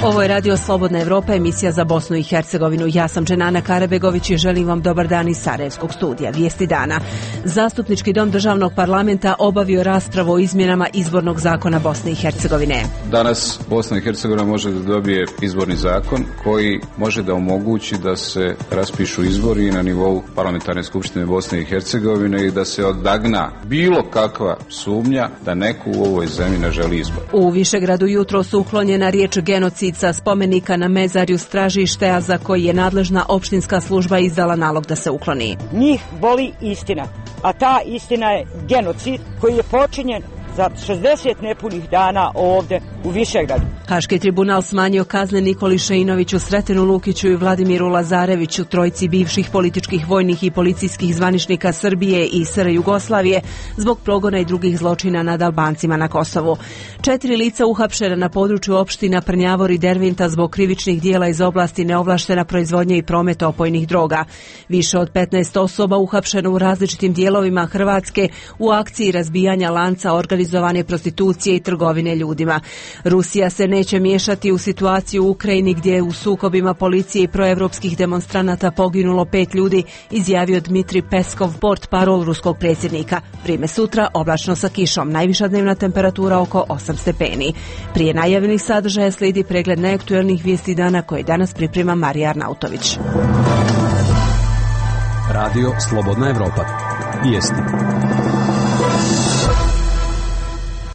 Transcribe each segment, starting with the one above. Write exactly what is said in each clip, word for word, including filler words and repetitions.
Ovo je Radio Slobodna Evropa, emisija za Bosnu i Hercegovinu. Ja sam Dženana Karabegović i želim vam dobar dan iz Sarajevskog studija. Vijesti dana. Zastupnički dom državnog parlamenta obavio raspravu o izmjenama izbornog zakona Bosne i Hercegovine. Danas Bosna i Hercegovina može da dobije izborni zakon koji može da omogući da se raspišu izbori na nivou parlamentarne skupštine Bosne i Hercegovine i da se odagna bilo kakva sumnja da neko u ovoj zemlji ne želi izbor. U Višegradu jutro su uklonjena riječ genocid sa spomenika na mezarju Stražište, a za koji je nadležna opštinska služba izdala nalog da se ukloni. Njih boli istina, a ta istina je genocid koji je počinjen za šezdeset nepunih dana ovdje u Višegradu. Haški tribunal smanjio kazne Nikoli Šeinoviću, Sretenu Lukiću i Vladimiru Lazareviću, trojci bivših političkih, vojnih i policijskih zvaničnika Srbije i S R Jugoslavije zbog progona i drugih zločina nad Albancima na Kosovu. Četiri lica uhapšena na području opština Prnjavor i Dervinta zbog krivičnih dijela iz oblasti neovlaštena proizvodnja i promet opojnih droga. Više od petnaest osoba uhapšeno u različitim dijelovima Hrvatske u akciji razbijanja lanca organizovane prostitucije i trgovine ljudima. Rusija se neće miješati u situaciju u Ukrajini gdje je u sukobima policije i proevropskih demonstranata poginulo pet ljudi, izjavio Dmitri Peskov, portparol ruskog predsjednika. Vrijeme sutra oblačno sa kišom, najviša dnevna temperatura oko osam stepeni. Prije najavljenih sadržaja slijedi pregled najaktuelnijih vijesti dana koje danas priprema Marija Arnautović. Radio Slobodna Evropa. Vijesti.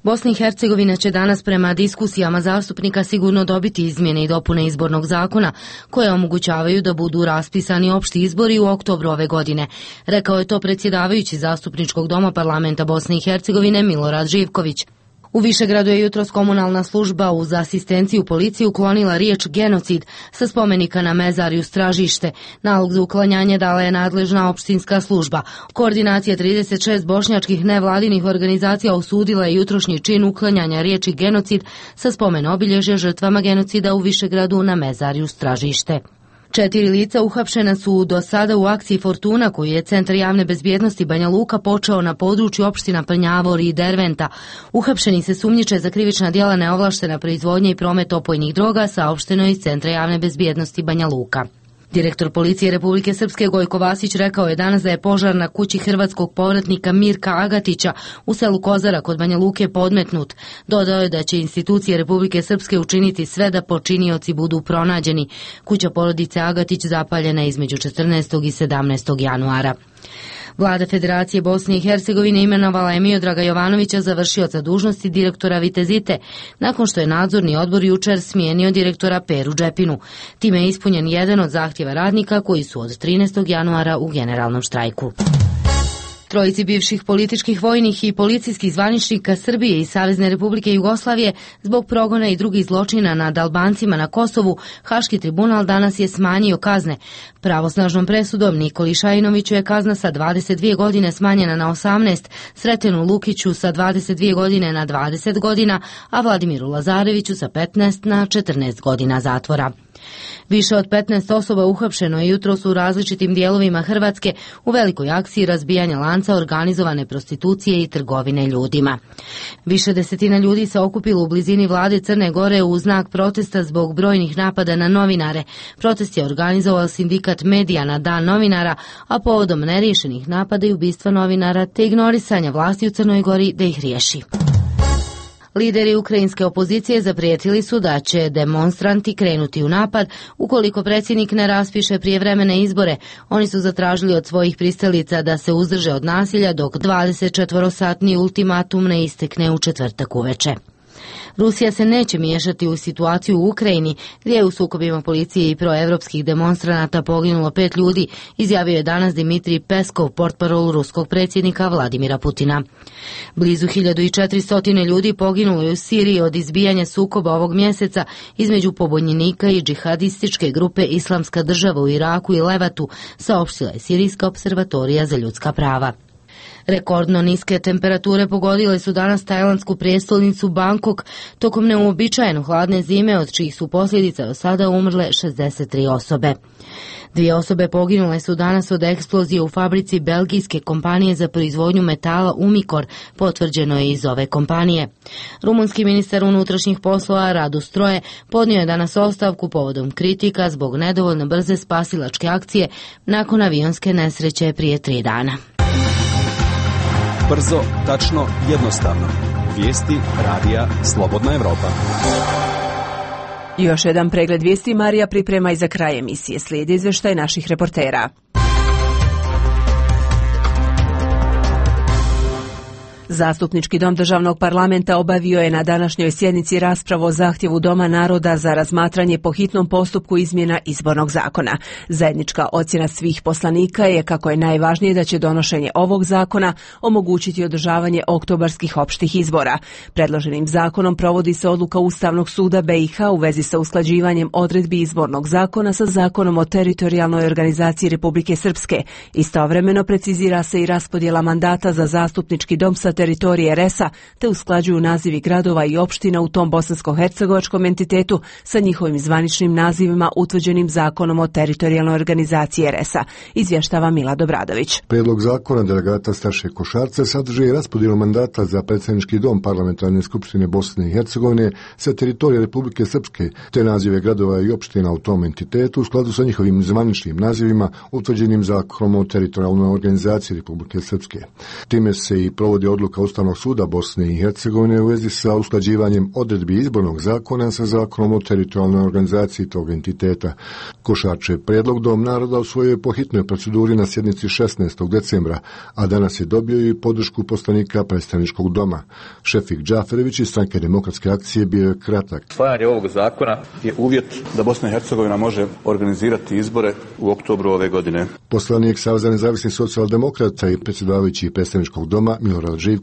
Bosna i Hercegovina će danas prema diskusijama zastupnika sigurno dobiti izmjene i dopune izbornog zakona koje omogućavaju da budu raspisani opšti izbori u oktobru ove godine. Rekao je to predsjedavajući zastupničkog doma parlamenta Bosne i Hercegovine Milorad Živković. U Višegradu je jutros komunalna služba uz asistenciju policije uklonila riječ genocid sa spomenika na mezarju Stražište. Nalog za uklanjanje dala je nadležna opštinska služba. Koordinacija trideset šest bošnjačkih nevladinih organizacija osudila je jutrošnji čin uklanjanja riječi genocid sa spomen obilježja žrtvama genocida u Višegradu na mezarju Stražište. Četiri lica uhapšena su do sada u akciji Fortuna koju je Centar javne bezbjednosti Banja Luka počeo na području opština Prnjavor i Derventa. Uhapšeni se sumnjiče za krivična djela neovlaštena proizvodnja i promet opojnih droga, saopšteno iz Centra javne bezbjednosti Banja Luka. Direktor policije Republike Srpske Gojko Vasić rekao je danas da je požar na kući hrvatskog povratnika Mirka Agatića u selu Kozara kod Banja Luke podmetnut. Dodao je da će institucije Republike Srpske učiniti sve da počinioci budu pronađeni. Kuća porodice Agatić zapaljena između četrnaestog i sedamnaestog januara. Vlada Federacije Bosne i Hercegovine imenovala je Miodraga Jovanovića za vršioca dužnosti direktora Vitezite, nakon što je nadzorni odbor jučer smijenio direktora Peru Džepinu. Time je ispunjen jedan od zahtjeva radnika koji su od trinaestog januara u generalnom štrajku. Trojici bivših političkih, vojnih i policijskih zvaničnika Srbije i Savezne Republike Jugoslavije zbog progona i drugih zločina nad Albancima na Kosovu, Haški tribunal danas je smanjio kazne. Pravosnažnom presudom Nikoli Šajinoviću je kazna sa dvadeset dvije godine smanjena na osamnaest, Sretenu Lukiću sa dvadeset dvije godine na dvadeset godina, a Vladimiru Lazareviću sa petnaest na četrnaest godina zatvora. Više od petnaest osoba uhapšeno je jutros u različitim dijelovima Hrvatske u velikoj akciji razbijanja lanca organizovane prostitucije i trgovine ljudima. Više desetina ljudi se okupilo u blizini vlade Crne Gore u znak protesta zbog brojnih napada na novinare. Protest je organizovao sindikat Medija na Dan novinara, a povodom neriješenih napada i ubistva novinara te ignorisanja vlasti u Crnoj Gori da ih riješi. Lideri ukrajinske opozicije zaprijetili su da će demonstranti krenuti u napad ukoliko predsjednik ne raspiše prijevremene izbore. Oni su zatražili od svojih pristalica da se uzdrže od nasilja dok dvadesetčetvorosatni ultimatum ne istekne u četvrtak uveče. Rusija se neće miješati u situaciju u Ukrajini, gdje je u sukobima policije i proevropskih demonstranata poginulo pet ljudi, izjavio je danas Dmitri Peskov, portparol ruskog predsjednika Vladimira Putina. Blizu hiljadu četiristo ljudi poginulo je u Siriji od izbijanja sukoba ovog mjeseca između pobunjenika i džihadističke grupe Islamska država u Iraku i Levatu, saopštila je Sirijska observatorija za ljudska prava. Rekordno niske temperature pogodile su danas tajlandsku prijestolnicu Bangkok tokom neuobičajeno hladne zime, od čijih su posljedica do sada umrle šezdeset tri osobe. Dvije osobe poginule su danas od eksplozije u fabrici belgijske kompanije za proizvodnju metala Umicore, potvrđeno je iz ove kompanije. Rumunski ministar unutrašnjih poslova Radu Stroje podnio je danas ostavku povodom kritika zbog nedovoljno brze spasilačke akcije nakon avionske nesreće prije tri dana. Brzo, tačno, jednostavno. Vijesti radija Slobodna Evropa. Još jedan pregled vijesti Marija priprema i za kraj emisije. Slijedi izvještaj naših reportera. Zastupnički dom državnog parlamenta obavio je na današnjoj sjednici raspravu o zahtjevu Doma naroda za razmatranje po hitnom postupku izmjena izbornog zakona. Zajednička ocjena svih poslanika je kako je najvažnije da će donošenje ovog zakona omogućiti održavanje oktobarskih opštih izbora. Predloženim zakonom provodi se odluka Ustavnog suda B i H u vezi sa usklađivanjem odredbi izbornog zakona sa zakonom o teritorijalnoj organizaciji Republike Srpske. Istovremeno precizira se i raspodjela mandata za zastupnički dom sa teritorije R E S-a, te usklađuju nazivi gradova i opština u tom bosansko-hercegovačkom entitetu sa njihovim zvaničnim nazivima utvrđenim zakonom o teritorijalnoj organizaciji R E S-a, izvještava Mila Dobradović. Prijedlog zakona delegata Staše Košarca sadrži i raspodjelu mandata za predsjednički dom Parlamentarne skupštine Bosne i Hercegovine sa teritorije Republike Srpske, te nazive gradova i opština u tom entitetu u skladu sa njihovim zvaničnim nazivima utvrđenim zakonom o teritorijalnoj organizaciji Republike Srpske. Time se i provodi odluka Ustavnog suda Bosne i Hercegovine u vezi sa usklađivanjem odredbi izbornog zakona sa zakonom o teritorijalnoj organizaciji tog entiteta. Košarčev prijedlog Dom naroda usvojio je po hitnoj proceduri na sjednici šesnaestog decembra, a danas je dobio i podršku poslanika predstavničkog doma. Šefik Džaferević iz Stranke demokratske akcije bio je kratak. Usvajanje ovog zakona je uvjet da Bosna i Hercegovina može organizirati izbore u oktobru ove godine. Poslanik Saveza nezavisnih socijaldemokrata i predsjedavajući predstavničkog doma Milorad Živković.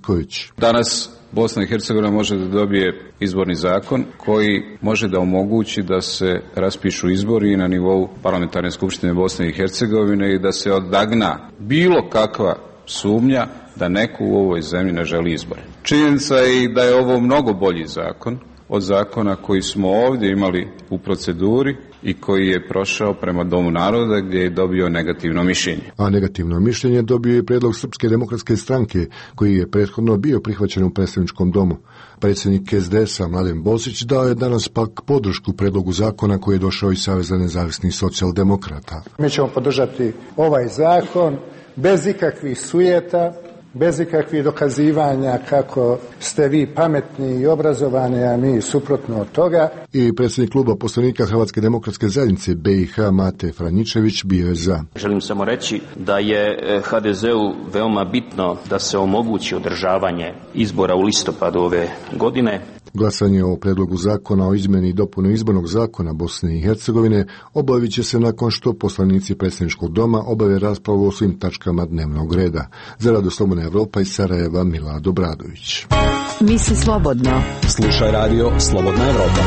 Danas Bosna i Hercegovina može da dobije izborni zakon koji može da omogući da se raspišu izbori na nivou Parlamentarne skupštine Bosne i Hercegovine i da se odagna bilo kakva sumnja da neko u ovoj zemlji ne želi izbore. Činjenica je i da je ovo mnogo bolji zakon od zakona koji smo ovdje imali u proceduri i koji je prošao prema Domu naroda gdje je dobio negativno mišljenje. A negativno mišljenje dobio je prijedlog Srpske demokratske stranke koji je prethodno bio prihvaćen u predstavničkom domu. Predsjednik S D S-a Mladen Bosić dao je danas pak podršku predlogu zakona koji je došao iz Saveza nezavisnih socijaldemokrata. Mi ćemo podržati ovaj zakon bez ikakvih sujeta, bez ikakvih dokazivanja kako ste vi pametni i obrazovani, a mi suprotno od toga. I predsjednik kluba poslanika Hrvatske demokratske zajednice B i H Mate Franjičević bio je za. Želim samo reći da je H D Z-u veoma bitno da se omogući održavanje izbora u listopadu ove godine. Glasanje o predlogu zakona o izmjeni i dopuni izbornog zakona Bosne i Hercegovine obavit će se nakon što poslanici predstavničkog doma obave raspravu o svim tačkama dnevnog reda. Za Radio Slobodna Evropa iz Sarajeva Mila Dobradović. Misli slobodno. Slušaj radio Slobodna Evropa.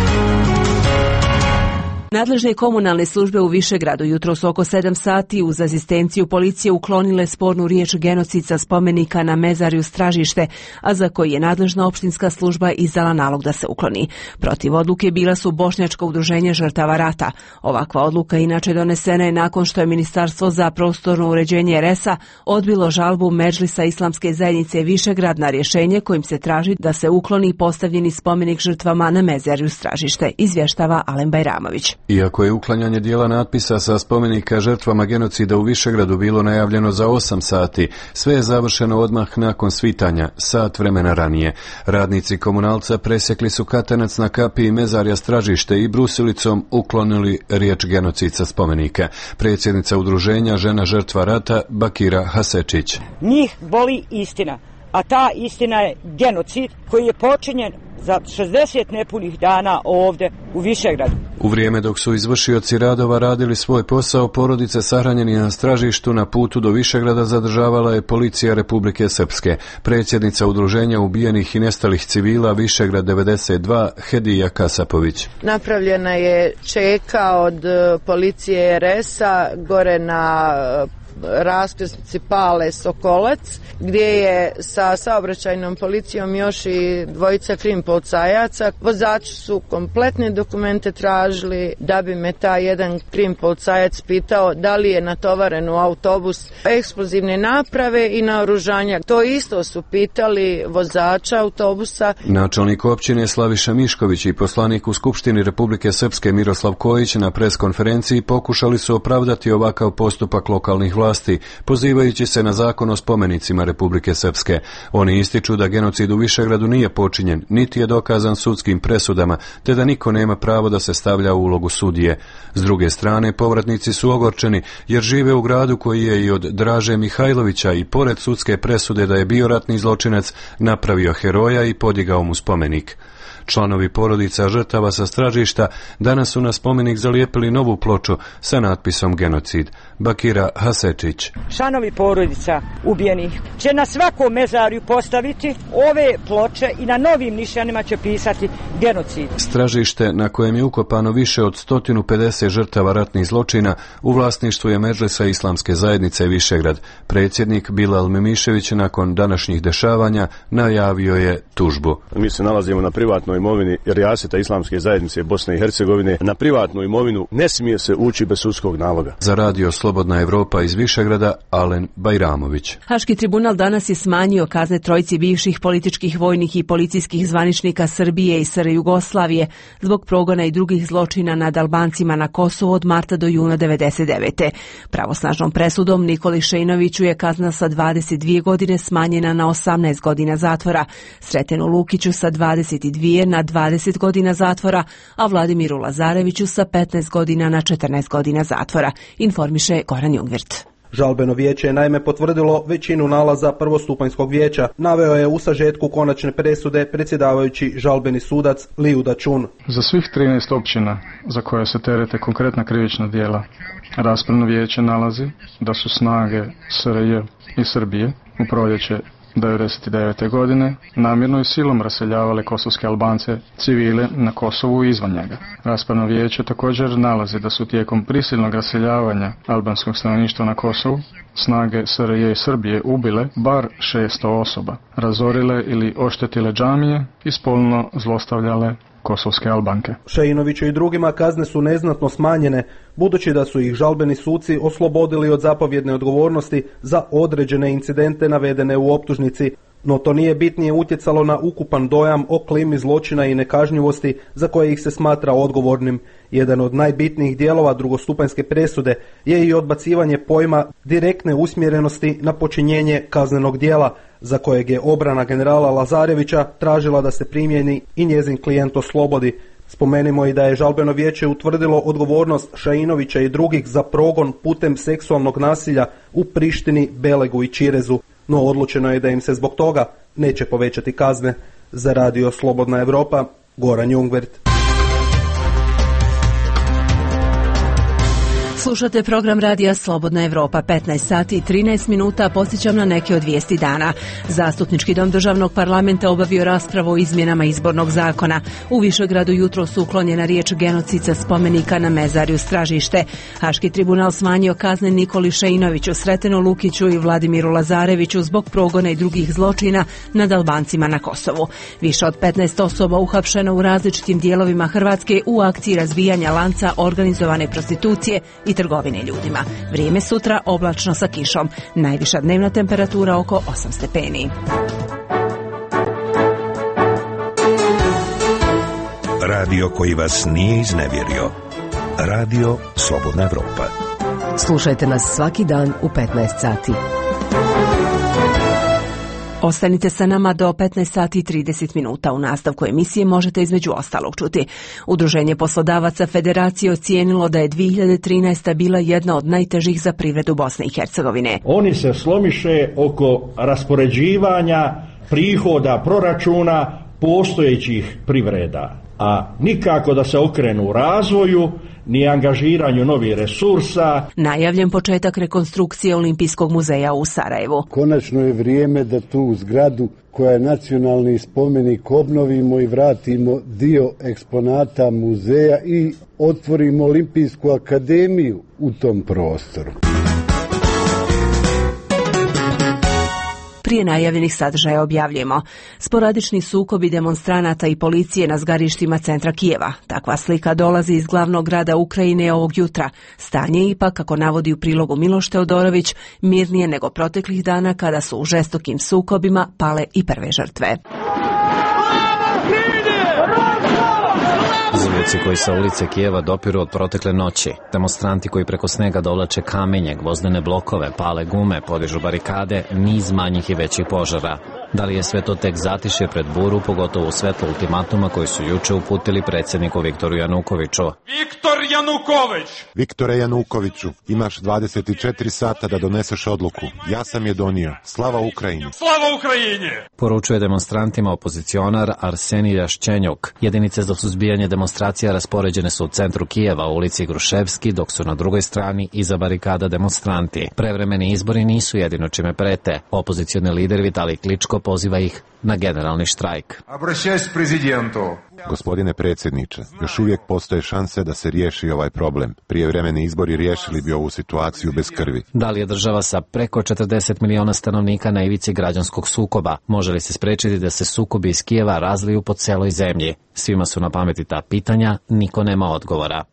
Nadležne komunalne službe u Višegradu jutros oko sedam sati uz asistenciju policije uklonile spornu riječ genocid sa spomenika na mezarju Stražište, a za koji je nadležna opštinska služba izdala nalog da se ukloni. Protiv odluke bila su Bošnjačko udruženje žrtava rata. Ovakva odluka inače donesena je nakon što je Ministarstvo za prostorno uređenje R E S-a odbilo žalbu Medžlisa Islamske zajednice Višegrad na rješenje kojim se traži da se ukloni postavljeni spomenik žrtvama na mezarju Stražište, izvještava Alen Bajramović. Iako je uklanjanje dijela natpisa sa spomenika žrtvama genocida u Višegradu bilo najavljeno za osam sati, sve je završeno odmah nakon svitanja, sat vremena ranije. Radnici komunalca presjekli su katanac na kapiji mezarja Stražište i brusilicom uklonili riječ genocid sa spomenika. Predsjednica udruženja Žena žrtva rata Bakira Hasečić. Njih boli istina, a ta istina je genocid koji je počinjen za šezdeset nepunih dana ovdje u Višegradu. U vrijeme dok su izvršioci radova radili svoj posao, porodice sahranjeni na Stražištu na putu do Višegrada zadržavala je policija Republike Srpske. Predsjednica udruženja ubijenih i nestalih civila Višegrad devedeset dva Hedija Kasapović. Napravljena je čeka od policije R E S-a gore na raskrsnici Pale Sokolac, gdje je sa saobraćajnom policijom još i dvojica krim policajaca. Vozači su kompletne dokumente tražili, da bi me taj jedan krim policajac pitao da li je natovaren u autobus eksplozivne naprave i naoružanja. To isto su pitali vozača autobusa. Načelnik općine Slaviša Mišković i poslanik u Skupštini Republike Srpske Miroslav Kojić na preskonferenciji pokušali su opravdati ovakav postupak lokalnih vlasti, pozivajući se na zakon o spomenicima Republike Srpske. Oni ističu da genocid u Višegradu nije počinjen, niti je dokazan sudskim presudama, te da niko nema pravo da se stavlja u ulogu sudije. S druge strane, povratnici su ogorčeni jer žive u gradu koji je i od Draže Mihajlovića i pored sudske presude da je bio ratni zločinac napravio heroja i podigao mu spomenik. Članovi porodica žrtava sa Stražišta danas su na spomenik zalijepili novu ploču sa natpisom genocid. Bakira Hasečić. Članovi porodica ubijenih će na svakom mezarju postaviti ove ploče i na novim nišanima će pisati genocid. Stražište, na kojem je ukopano više od sto pedeset žrtava ratnih zločina, u vlasništvu je Medžlisa Islamske zajednice Višegrad. Predsjednik Bilal Memišević nakon današnjih dešavanja najavio je tužbu. Mi se nalazimo na privatnoj imovini Rijaseta Islamske zajednice Bosne i Hercegovine. Na privatnu imovinu ne smije se ući bez sudskog naloga. Za radio Slobodna Evropa iz Višegrada, Alen Bajramović. Haški tribunal danas je smanjio kazne trojici bivših političkih, vojnih i policijskih zvaničnika Srbije i S R Jugoslavije zbog progona i drugih zločina nad Albancima na Kosovu od marta do juna devedeset devete. Pravosnažnom presudom Nikoli Šejnoviću je kazna sa dvadeset dvije godine smanjena na osamnaest godina zatvora, Sretenu Lukiću sa dvadeset dvije na dvadeset godina zatvora, a Vladimiru Lazareviću sa petnaest godina na četrnaest godina zatvora, informiše Goran Jungvirt. Žalbeno vijeće je naime potvrdilo većinu nalaza prvostupanjskog vijeća, naveo je u sažetku konačne presude predsjedavajući žalbeni sudac Liju Dačun. Za svih trinaest općina za koje se terete konkretna krivična djela, raspravno vijeće nalazi da su snage S R J i Srbije u proljeće devedeset devete. godine namjerno i silom raseljavale kosovske Albance civile na Kosovu i izvan njega. Raspravno vijeće također nalazi da su tijekom prisilnog raseljavanja albanskog stanovništva na Kosovu snage S R J i Srbije ubile bar šesto osoba, razorile ili oštetile džamije i spolno zlostavljale kosovske Albanke. Šejinoviću i drugima kazne su neznatno smanjene, budući da su ih žalbeni suci oslobodili od zapovjedne odgovornosti za određene incidente navedene u optužnici, no to nije bitnije utjecalo na ukupan dojam o klimi zločina i nekažnjivosti za koje ih se smatra odgovornim. Jedan od najbitnijih dijelova drugostupanjske presude je i odbacivanje pojma direktne usmjerenosti na počinjenje kaznenog dijela, za kojeg je obrana generala Lazarevića tražila da se primjeni i njezin klijent oslobodi. Spomenimo i da je žalbeno vijeće utvrdilo odgovornost Šajinovića i drugih za progon putem seksualnog nasilja u Prištini, Belegu i Čirezu, no odlučeno je da im se zbog toga neće povećati kazne. Za radio Slobodna Evropa, Goran Jungvirt. Slušate program radija Slobodna Evropa, petnaest sati i trinaest minuta, posjećam na neke od vijesti dana. Zastupnički dom državnog parlamenta obavio raspravu o izmjenama izbornog zakona. U Višegradu jutro su uklonjena riječ genocid sa spomenika na mezarju Stražište. Haški tribunal smanjio kazne Nikoli Šejnoviću, Sretenu Lukiću i Vladimiru Lazareviću zbog progona i drugih zločina nad Albancima na Kosovu. Više od petnaest osoba uhapšeno u različitim dijelovima Hrvatske u akciji razbijanja lanca organizovane prostitucije i trgovine ljudima. Vrijeme sutra oblačno sa kišom. Najviša dnevna temperatura oko osam stepeni. Radio koji vas nije iznevjerio. Radio Slobodna Evropa. Slušajte nas svaki dan u petnaest sati. Ostanite sa nama do petnaest sati i trideset minuta. U nastavku emisije možete između ostalog čuti. Udruženje poslodavaca Federacije ocijenilo da je dvije hiljade trinaesta. bila jedna od najtežih za privredu Bosne i Hercegovine. Oni se slomiše oko raspoređivanja prihoda proračuna postojećih privreda, a nikako da se okrenu u razvoju ni angažiranju novih resursa. Najavljen početak rekonstrukcije Olimpijskog muzeja u Sarajevu. Konačno je vrijeme da tu zgradu koja je nacionalni spomenik obnovimo i vratimo dio eksponata muzeja i otvorimo Olimpijsku akademiju u tom prostoru. Prije najavljenih sadržaja objavljujemo sporadični sukobi demonstranata i policije na zgarištima centra Kijeva. Takva slika dolazi iz glavnog grada Ukrajine ovog jutra. Stanje je ipak, kako navodi u prilogu Miloš Teodorović, mirnije nego proteklih dana kada su u žestokim sukobima pale i prve žrtve. Zvuci koji sa ulice Kijeva dopiru od protekle noći. Demonstranti koji preko snega dovlače kamenje, gvozdene blokove, pale gume, podižu barikade, niz manjih i većih požara. Da li je sve to tek zatišje pred buru, pogotovo u svetlu ultimatuma koji su juče uputili predsjedniku Viktoru Janukoviću? Viktor Januković! Viktore Janukoviću, imaš dvadeset četiri sata da doneseš odluku. Ja sam je donio. Slava Ukrajini! Slava Ukrajini! Poručuje demonstrantima opozicionar Arsenij Jaščenjuk. Jedinice za suzbijanje demonstracija raspoređene su u centru Kijeva, u ulici Gruševski, dok su na drugoj strani iza barikada demonstranti. Prevremeni izbori nisu jedino čime prete. Opozicioni lider Vitalij Kličko poziva ih na generalni štrajk. Gospodine predsjedniče, još uvijek postoje šanse da se riješi ovaj problem. Prijevremeni izbori riješili bi ovu situaciju bez krvi. Da li je država sa preko četrdeset miliona stanovnika na ivici građanskog sukoba? Može li se spriječiti da se sukobi iz Kijeva razliju po celoj zemlji? Svima su na pameti ta pitanja, niko nema odgovora.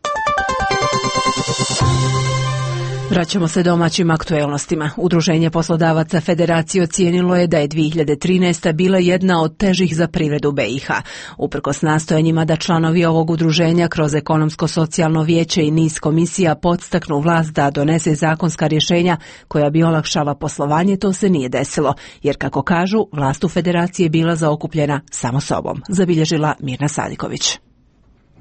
Vraćamo se domaćim aktuelnostima. Udruženje poslodavaca Federacije ocijenilo je da je dvije hiljade trinaesta bila jedna od težih za privredu B i H. Uprkos nastojanjima da članovi ovog udruženja kroz ekonomsko-socijalno vijeće i niz komisija podstaknu vlast da donese zakonska rješenja koja bi olakšala poslovanje, to se nije desilo, jer kako kažu, vlast u Federaciji je bila zaokupljena samo sobom, zabilježila Mirna Sadiković.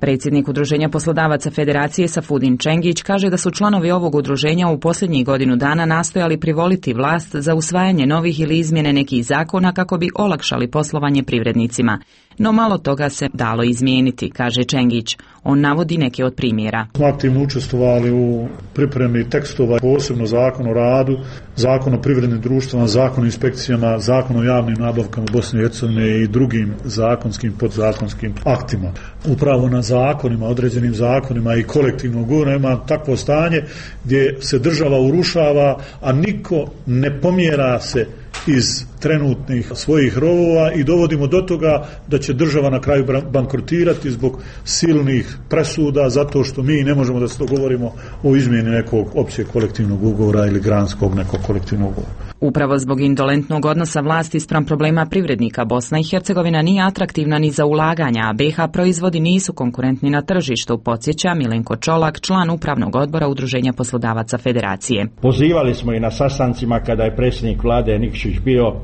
Predsjednik Udruženja poslodavaca Federacije Safudin Čengić kaže da su članovi ovog udruženja u posljednjih godinu dana nastojali privoliti vlast za usvajanje novih ili izmjene nekih zakona kako bi olakšali poslovanje privrednicima. No malo toga se dalo izmijeniti, kaže Čengić. On navodi neke od primjera. Smo aktivno učestvovali u pripremi tekstova, posebno zakon o radu, zakon o privrednim društvama, zakon o inspekcijama, zakon o javnim nabavkama Bosne i Hercegovine i drugim zakonskim, podzakonskim aktima. Upravo na zakonima, određenim zakonima i kolektivnog ugovora ima takvo stanje gdje se država urušava, a niko ne pomjera se iz trenutnih svojih rovova i dovodimo do toga da će država na kraju bankrotirati zbog silnih presuda zato što mi ne možemo da se dogovorimo o izmjeni nekog općeg kolektivnog ugovora ili granskog nekog kolektivnog ugovora. Upravo zbog indolentnog odnosa vlasti spram problema privrednika, Bosna i Hercegovina nije atraktivna ni za ulaganja, a B H proizvodi nisu konkurentni na tržištu, podsjeća Milenko Čolak, član upravnog odbora Udruženja poslodavaca Federacije. Pozivali smo i na sastancima kada je predsjednik vlade Nikšić bio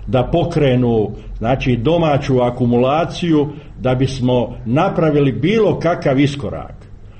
da pokrenu znači domaću akumulaciju da bismo napravili bilo kakav iskorak.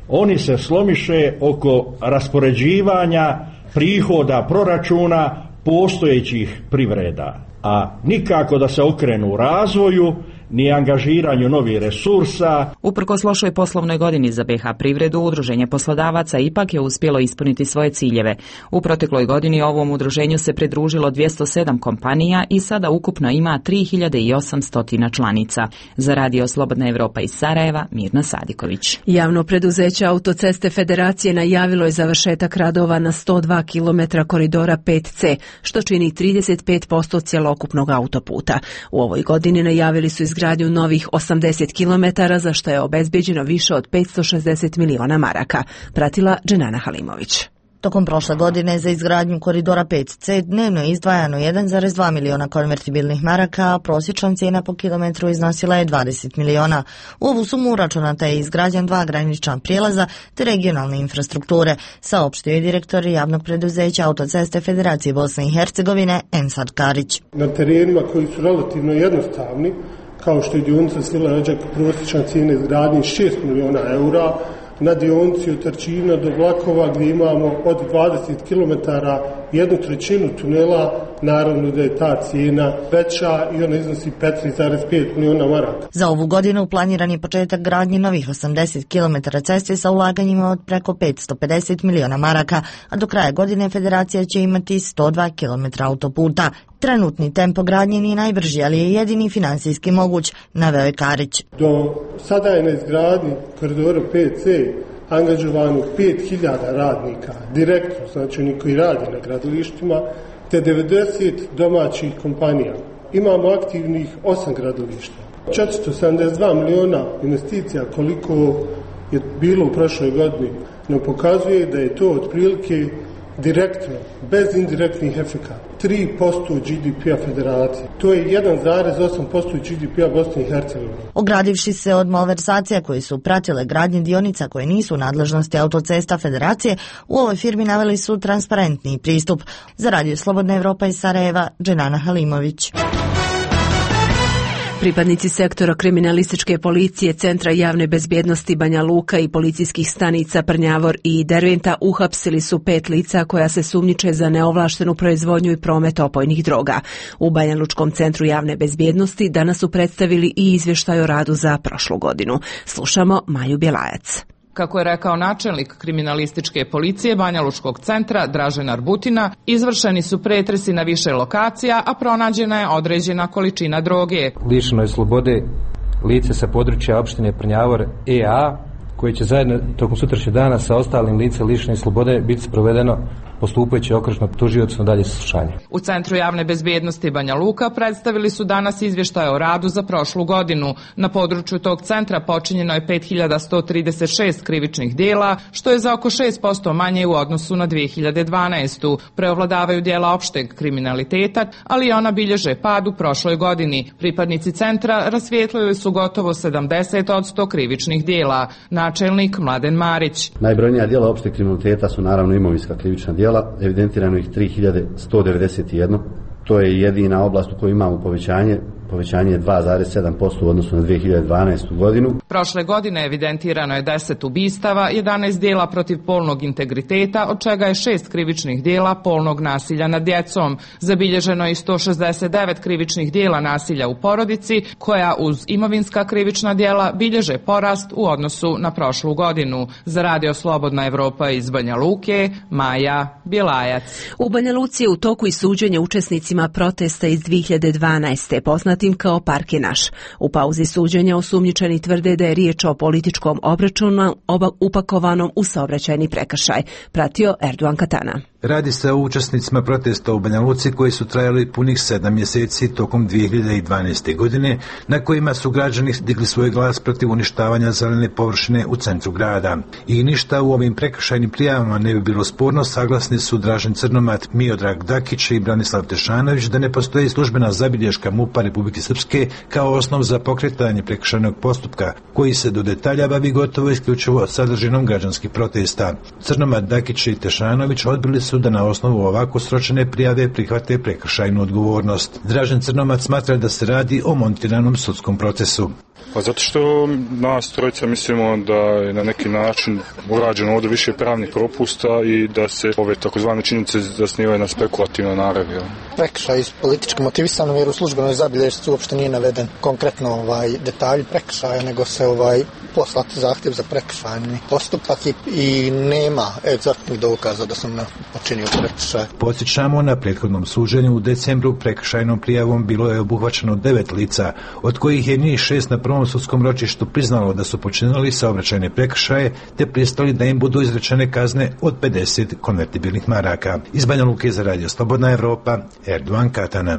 Oni se slomiše oko raspoređivanja prihoda proračuna postojećih privreda, a nikako da se okrenu razvoju ni angažiranju novih resursa. Uprkos lošoj poslovnoj godini za B H privredu, Udruženje poslodavaca ipak je uspjelo ispuniti svoje ciljeve. U protekloj godini ovom udruženju se pridružilo dvjesto sedam kompanija i sada ukupno ima tri hiljade osamsto članica. Za Radio Slobodna Evropa iz Sarajeva, Mirna Sadiković. Javno preduzeće Autoceste Federacije najavilo je završetak radova na sto dva kilometra koridora pet C, što čini trideset pet posto cjelokupnog autoputa. U ovoj godini najavili su izgradnju izgradnju novih osamdeset kilometara, za što je obezbeđeno više od petsto šezdeset miliona maraka, pratila Dženana Halimović. Tokom prošle godine za izgradnju koridora pet C dnevno je izdvajano jedan zarez dva miliona konvertibilnih maraka, a prosječna cijena po kilometru iznosila je dvadeset miliona. U ovu sumu uračunata je izgradnja dva granična prijelaza te regionalne infrastrukture, saopštio je direktor javnog preduzeća Autoceste Federacije Bosne i Hercegovine Ensad Karić. Na terenima koji su relativno jednostavni, kao što je dionica Svila Rađak, prosječna cijena izgradnje šest miliona eura, na dionici od Trčina do Vlakova gdje imamo od dvadeset kilometara jednu trećinu tunela, naravno da je ta cijena veća i ona iznosi petnaest zarez pet miliona maraka. Za ovu godinu planiran je početak gradnje novih osamdeset kilometara ceste sa ulaganjima od preko petsto pedeset miliona maraka, a do kraja godine Federacija će imati sto dva kilometra autoputa. Trenutni tempo gradnje nije najbrži, ali je jedini finansijski moguć, naveo je Karić. Do sada je na izgradnji koridora pet C angažovano pet hiljada radnika direktno, znači oni koji rade na gradilištima, te devedeset domaćih kompanija. Imamo aktivnih osam gradilišta. četiristo sedamdeset dva miliona investicija koliko je bilo u prošloj godini, no pokazuje da je to otprilike direktno, bez indirektnih efekata, tri posto G D P-a federacije. To je jedan zarez osam posto G D P-a Bosne i Hercegovine. Ogradivši se od malverzacija koji su pratile gradnje dionica koje nisu u nadležnosti autocesta federacije, u ovoj firmi naveli su transparentni pristup. Za Radio Slobodna Evropa iz Sarajeva, Dženana Halimović. Pripadnici sektora kriminalističke policije, Centra javne bezbjednosti Banja Luka i policijskih stanica Prnjavor i Derventa uhapsili su pet lica koja se sumnjiče za neovlaštenu proizvodnju i promet opojnih droga. U Banja Lučkom centru javne bezbjednosti danas su predstavili i izvještaj o radu za prošlu godinu. Slušamo Maju Bjelajac. Kako je rekao načelnik kriminalističke policije Banja Lučkog centra Dražen Arbutina, izvršeni su pretresi na više lokacija, a pronađena je određena količina droge. Lišeno je slobode lice sa područja opštine Prnjavor E A, koje će zajedno tokom sutrašnjeg dana sa ostalim lice lišene slobode biti sprovedeno postupajući okružno tužiocu na dalje saslušanje. U Centru javne bezbjednosti Banja Luka predstavili su danas izvještaj o radu za prošlu godinu. Na području tog centra počinjeno je pet hiljada sto trideset šest krivičnih djela, što je za oko šest posto manje u odnosu na dvije hiljade dvanaestu. Preovladavaju djela opšteg kriminaliteta, ali i ona bilježe pad u prošloj godini. Pripadnici centra rasvijetlili su gotovo sedamdeset posto krivičnih djela. Načelnik Mladen Marić. Najbrojnija djela opšteg kriminaliteta su naravno imovinska krivična djela. Evidentirano ih tri hiljade sto devedeset jedan. To je jedina oblast u kojoj imamo povećanje. Povećanje je dva zarez sedam posto u odnosu na dvije hiljade dvanaestu godinu. Prošle godine evidentirano je deset ubistava, jedanaest djela protiv polnog integriteta, od čega je šest krivičnih djela polnog nasilja nad djecom. Zabilježeno je i sto šezdeset devet krivičnih djela nasilja u porodici, koja uz imovinska krivična djela bilježe porast u odnosu na prošlu godinu. Za Radio Slobodna Evropa iz Banja Luke, Maja Bjelajac. U Banja Luci je u toku i suđenje učesnicima protesta iz dvije hiljade dvanaeste. Poznat tim kao Park je naš. U pauzi suđenja osumnjičeni tvrde da je riječ o političkom obračunu upakovanom u saobraćajni prekršaj. Pratio Erdogan Katana. Radi se o učesnicima protesta u Banja Luci koji su trajali punih sedam mjeseci tokom dvije hiljade dvanaeste. godine, na kojima su građani digli svoj glas protiv uništavanja zelene površine u centru grada. I ništa u ovim prekršajnim prijavama ne bi bilo sporno, saglasni su Dražen Crnomat, Miodrag Dakić i Branislav Tešanović da ne postoji službena zabilješka MUP-a Republike Srpske kao osnov za pokretanje prekršajnog postupka, koji se do detalja bavi gotovo isključivo sadržinom građanskih protesta. Crnomat, Dakić i Tešanović odbili su da na osnovu ovako sročene prijave prihvate prekršajnu odgovornost. Dražen Crnomat smatra da se radi o montiranom sudskom procesu. Pa zato što nas trojica mislimo da je na neki način urađeno ovdje više pravnih propusta i da se ove takozvane činjenice zasnivaju na spekulativnoj naravi. Prekršaj politički motivisan, jer u službenoj zabilješci uopšte nije naveden konkretno ovaj detalj prekršaja, nego se ovaj poslati zahtjev za prekršajni postupak i, i nema egzaktnih dokaza da sam počinio prekršaj. Podsjećamo, na prethodnom suđenju u decembru prekršajnom prijavom bilo je obuhvaćeno devet lica, od kojih je njih šest na prvom sudskom ročištu priznalo da su počinili saobraćajne prekršaje te pristali da im budu izrečene kazne od pedeset konvertibilnih maraka. Iz Banja Luke za Radio Slobodna Evropa, Erdogan Katana.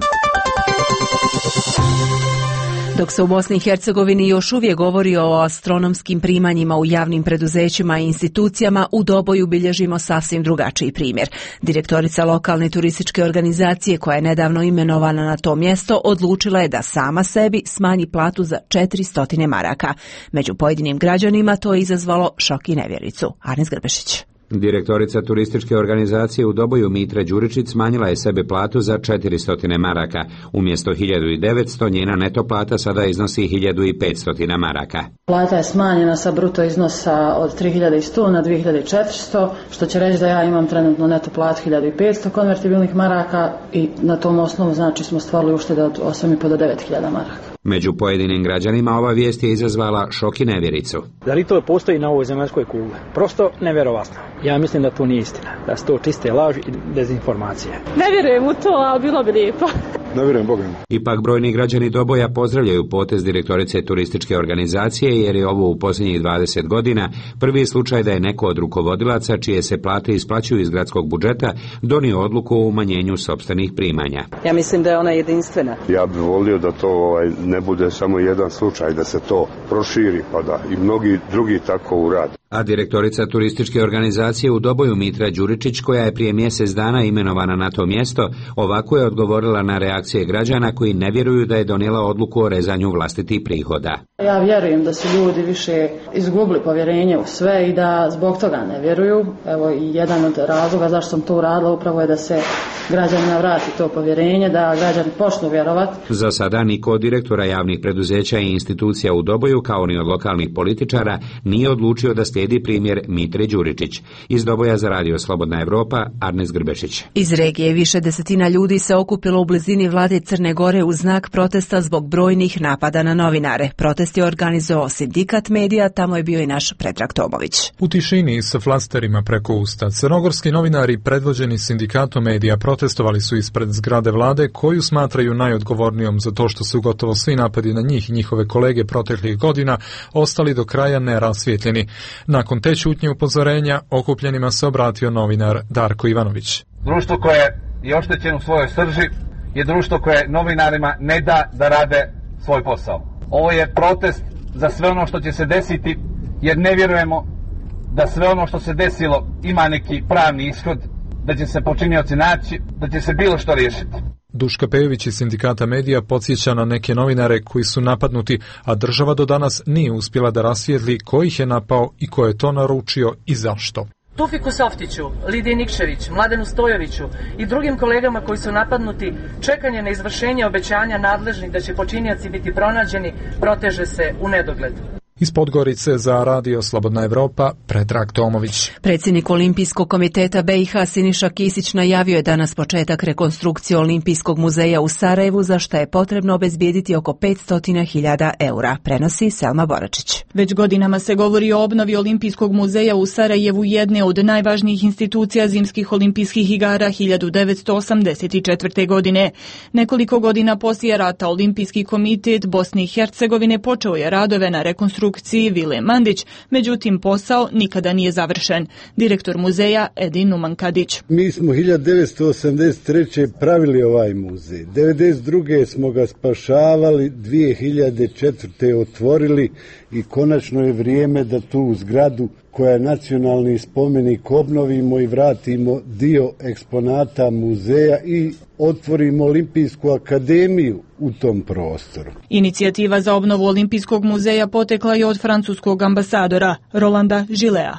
Dok se u Bosni i Hercegovini još uvijek govori o astronomskim primanjima u javnim preduzećima i institucijama, u Doboju bilježimo sasvim drugačiji primjer. Direktorica lokalne turističke organizacije, koja je nedavno imenovana na to mjesto, odlučila je da sama sebi smanji platu za četiristo maraka. Među pojedinim građanima to je izazvalo šok i nevjericu. Arnis Grbešić. Direktorica turističke organizacije u Doboju Mitra Đuričić smanjila je sebi platu za četiristo maraka. Umjesto hiljadu devetsto njena neto plata sada iznosi hiljadu petsto maraka. Plata je smanjena sa bruto iznosa od tri hiljade sto na dvije hiljade četiristo, što će reći da ja imam trenutno neto platu hiljadu petsto konvertibilnih maraka i na tom osnovu znači smo stvorili uštede od osam i po do devet hiljada maraka. Među pojedinim građanima ova vijest je izazvala šok i nevjericu. Da li to postoji na ovoj zemaljskoj kugli? Prosto nevjerovatno. Ja mislim da to nije istina, da su to čiste laži i dezinformacije. Ne vjerujem u to, ali bilo bi lijepo. ne vjerujem Boga. Ipak brojni građani Doboja pozdravljaju potez direktorice turističke organizacije, jer je ovo u posljednjih dvadeset godina prvi slučaj da je neko od rukovodilaca čije se plate isplaćuju iz gradskog budžeta donio odluku o umanjenju sopstvenih primanja. Ja mislim da je ona jedinstvena. Ja bih volio da to ovaj, ne bude samo jedan slučaj, da se to proširi pa da i mnogi drugi tako urade. A direktorica turističke organizacije u Doboju Mitra Đuričić, koja je prije mjesec dana imenovana na to mjesto, ovako je odgovorila na reakcije građana koji ne vjeruju da je donijela odluku o rezanju vlastitih prihoda. Ja vjerujem da su ljudi više izgubili povjerenje u sve i da zbog toga ne vjeruju. Evo i jedan od razloga zašto sam to uradila upravo je da se građanima vrati to povjerenje, da građani počnu vjerovati. Za sada niko od direktora javnih preduzeća i institucija u Doboju, kao ni od lokalnih političara, nije odlučio da slijedi primjer Mitre Đuričić. Iz Doboja za Radio Slobodna Evropa, Arnes Grbešić. Iz regije više desetina ljudi se okupilo u blizini vlade Crne Gore u znak protesta zbog brojnih napada na novinare. Protest je organizovao Sindikat medija, tamo je bio i naš Predrag Tomović. U tišini sa flasterima preko usta, crnogorski novinari predvođeni Sindikatom medija protestovali su ispred zgrade vlade, koju smatraju najodgovornijom za to što su gotovo svi napadi na njih i njihove kolege proteklih godina ostali do kraja nerasvijetljeni. Nakon te ćutnje upozorenja, okupljenima se obratio novinar Darko Ivanović. Društvo koje je oštećeno u svojoj srži je društvo koje novinarima ne da da rade svoj posao. Ovo je protest za sve ono što će se desiti, jer ne vjerujemo da sve ono što se desilo ima neki pravni ishod, da će se počinioci naći, da će se bilo što riješiti. Duška Pejović iz Sindikata medija podsjeća na neke novinare koji su napadnuti, a država do danas nije uspjela da rasvijetli ko ih je napao i ko je to naručio i zašto. Tufiku Softiću, Lidiji Nikšević, Mladenu Stojoviću i drugim kolegama koji su napadnuti, čekanje na izvršenje obećanja nadležnih da će počinioci biti pronađeni proteže se u nedogled. Iz Podgorice za Radio Slobodna Evropa, Predrag Tomović. Predsjednik Olimpijskog komiteta B i H Siniša Kisić najavio je danas početak rekonstrukcije Olimpijskog muzeja u Sarajevu, za što je potrebno obezbijediti oko petsto hiljada eura, prenosi Selma Boračić. Već godinama se govori o obnovi Olimpijskog muzeja u Sarajevu, jedne od najvažnijih institucija zimskih olimpijskih igara hiljadu devetsto osamdeset četvrte. godine. Nekoliko godina poslije rata Olimpijski komitet Bosne i Hercegovine počeo je radove na rekonstrukciji Vile Mandić, međutim posao nikada nije završen. Direktor muzeja Edin Numankadić. Mi smo hiljadu devetsto osamdeset treće. pravili ovaj muzej. devedeset druge smo ga spašavali, dvije hiljade četvrte. otvorili i konačno je vrijeme da tu zgradu koja je nacionalni spomenik obnovimo i vratimo dio eksponata muzeja i otvorimo Olimpijsku akademiju u tom prostoru. Inicijativa za obnovu Olimpijskog muzeja potekla je od francuskog ambasadora Rolanda Gilea.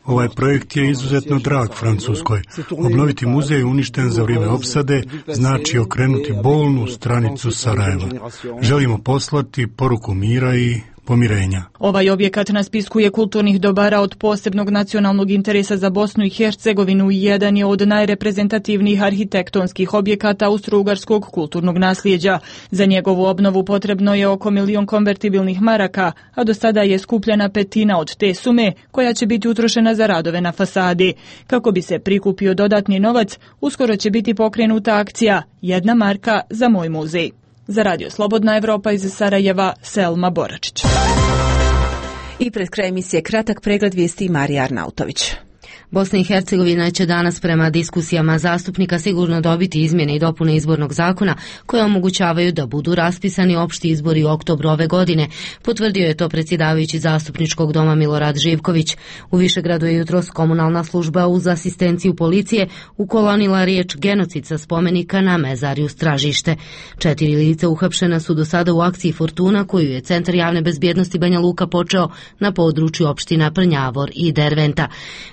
Ovaj projekt je izuzetno drag Francuskoj. Obnoviti muzej uništen za vrijeme opsade znači okrenuti bolnu stranicu Sarajeva. Želimo poslati poruku mira i pomirenja. Ovaj objekat na spisku je kulturnih dobara od posebnog nacionalnog interesa za Bosnu i Hercegovinu i jedan je od najreprezentativnijih arhitektonskih objekata austro-ugarskog kulturnog nasljeđa. Za njegovu obnovu potrebno je oko milion konvertibilnih maraka, a do sada je skupljena petina od te sume koja će biti utrošena za radove na fasadi. Kako bi se prikupio dodatni novac, uskoro će biti pokrenuta akcija Jedna marka za moj muzej. Za Radio Slobodna Evropa iz Sarajeva, Selma Boračić. I pred kraj emisije kratak pregled vijesti Marija Arnautović. Bosna i Hercegovina će danas prema diskusijama zastupnika sigurno dobiti izmjene i dopune izbornog zakona koje omogućavaju da budu raspisani opšti izbori u oktobru ove godine. Potvrdio je to predsjedavajući zastupničkog doma Milorad Živković. U Višegradu je jutros komunalna služba uz asistenciju policije ukolonila riječ genocid sa spomenika na mezarju Stražište. Četiri lica uhapšena su do sada u akciji Fortuna koju je Centar javne bezbjednosti Banja Luka počeo na području opština Prnjavor i Derventa.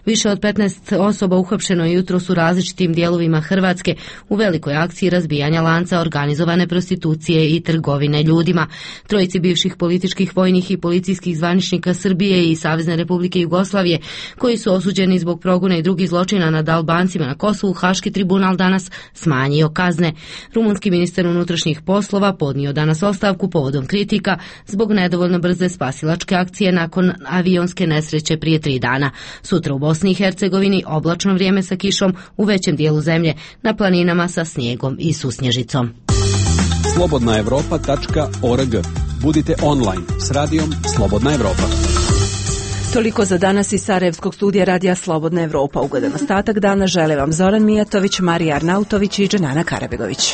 Više od petnaest osoba uhapšeno je jutros u različitim dijelovima Hrvatske u velikoj akciji razbijanja lanca organizovane prostitucije i trgovine ljudima. Trojici bivših političkih, vojnih i policijskih zvaničnika Srbije i Savezne Republike Jugoslavije, koji su osuđeni zbog progona i drugih zločina nad Albancima na Kosovu, Haški tribunal danas smanjio kazne. Rumunski ministar unutrašnjih poslova podnio danas ostavku povodom kritika zbog nedovoljno brze spasilačke akcije nakon avionske nesreće prije tri dana. Sutra u Bosni i Hercegovini Hercegovini oblačno vrijeme sa kišom u većem dijelu zemlje, na planinama sa snijegom i susnježicom. slobodna evropa tačka org. Budite online s radijom Slobodna Evropa. Toliko za danas iz Sarajevskog studija Radija Slobodna Evropa. Ugodan ostatak dana žele vam Zoran Mijatović, Marija Arnautović i Dženana Karabegović.